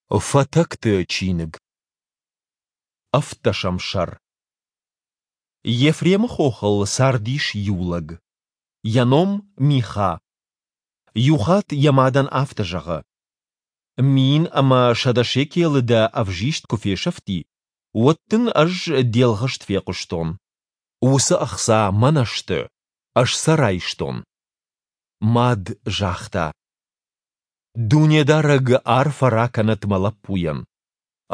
Фатӕгты чиныг. Ӕвддӕсӕм сӕр. Ефремы хохыл цардис иу лӕг. Йӕ ном Миха. Иухатт йӕ мадӕн афтӕ зӕгъы: 1100 шекелы дӕ ӕвзист куы фесӕфти, уӕд дын ӕз де лгъыст фехъуыстон. Уыцы ӕхца мӕнӕ сты, ӕз сӕ райстон. Мад загъта: Дунедарӕг арфӕ ракӕнӕд мӕ лӕппуйӕн.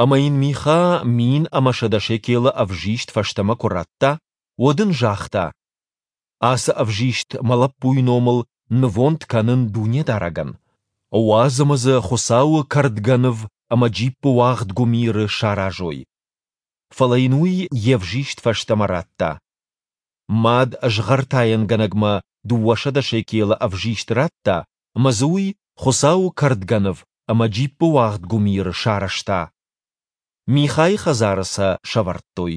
Ӕмӕ йын Миха 1100 шекелы ӕвзист фӕстӕмӕ куы радта, уӕд ын загъта: Ацы ӕвзист мӕ лӕппуйы номыл нывонд кӕнын Дунедарӕгӕн. Уадз ӕмӕ дзы Хуыцауы кӕрдгӕныв ӕмӕ джиппыуагъд гуымиры саразой. Фӕлӕ йын уый йе взист фӕстӕмӕ радта. Мад згъӕртайӕнгӕнӕгмӕ 200 шекелы ӕвзист радта ӕмӕ дзы уый Хуыцауы кӕрдгӕныв ӕмӕ джиппыуагъд гуымиры сарӕзта. Михайы хӕдзары сӕ сӕвӕрдтой.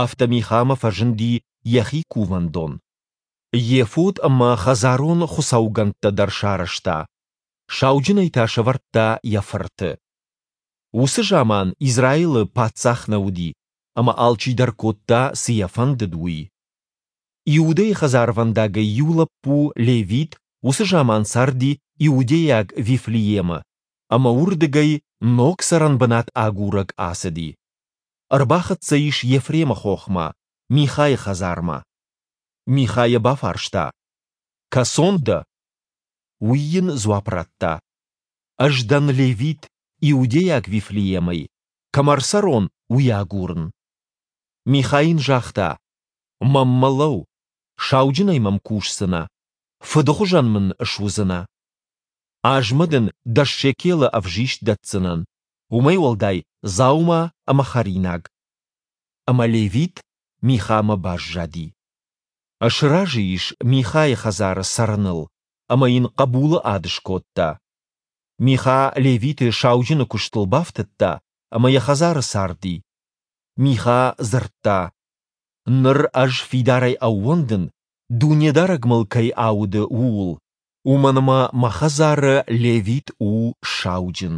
Афтӕ Михамӕ фӕзынди йӕхи кувӕндон. Ефод ӕмӕ хӕдзарон хуыцаугӕндтӕ дӕр сарӕзта. Сауджынӕй та сӕвӕрдта йӕ фырты. Уыцы заман Израилы паддзах нӕ уыди, ӕмӕ алчидӕр кодта, цы йӕ фӕндыд, уый. Иудӕйы хӕдзарвӕндагӕй иу лӕппу, левит, уыцы заман царди иудейаг Вифлеемы, ӕмӕ уырдыгӕй ног цӕрӕнбынат агурӕг ацыди. Ӕрбахӕццӕ ис Ефремы хохмӕ, Михайы хӕдзармӕ. Миха йӕ бафарста: «Кӕцон дӕ?» Уый йын дзуапп радта: «Ӕз дӕн левит, иудейаг Вифлеемӕй, кӕм ӕрцӕрон, уый агурын». Миха йын загъта: «Мӕнмӕ лӕуу, сауджынӕй мӕм кусдзынӕ, фыды хуызӕн мын суыдзынӕ. Азмӕ дын 10 шекелы ӕвзист дӕтдзынӕн, уымӕй уӕлдай дзаума ӕмӕ хӕринаг». Ӕмӕ левит Михамӕ баззади. Сразы ис Михайы хӕдзары цӕрыныл ӕмӕ йын хъӕбулы ад скодта. Миха левиты сауджыны куыстыл бафтыдта ӕмӕ йӕ хӕдзары царди. Миха дзырдта: «Ныр ӕз фидарӕй ӕууӕндын, Дунедарӕг мыл кӕй ауды, ууыл, уымӕн ӕмӕ мӕ хӕдзары левит у сауджын».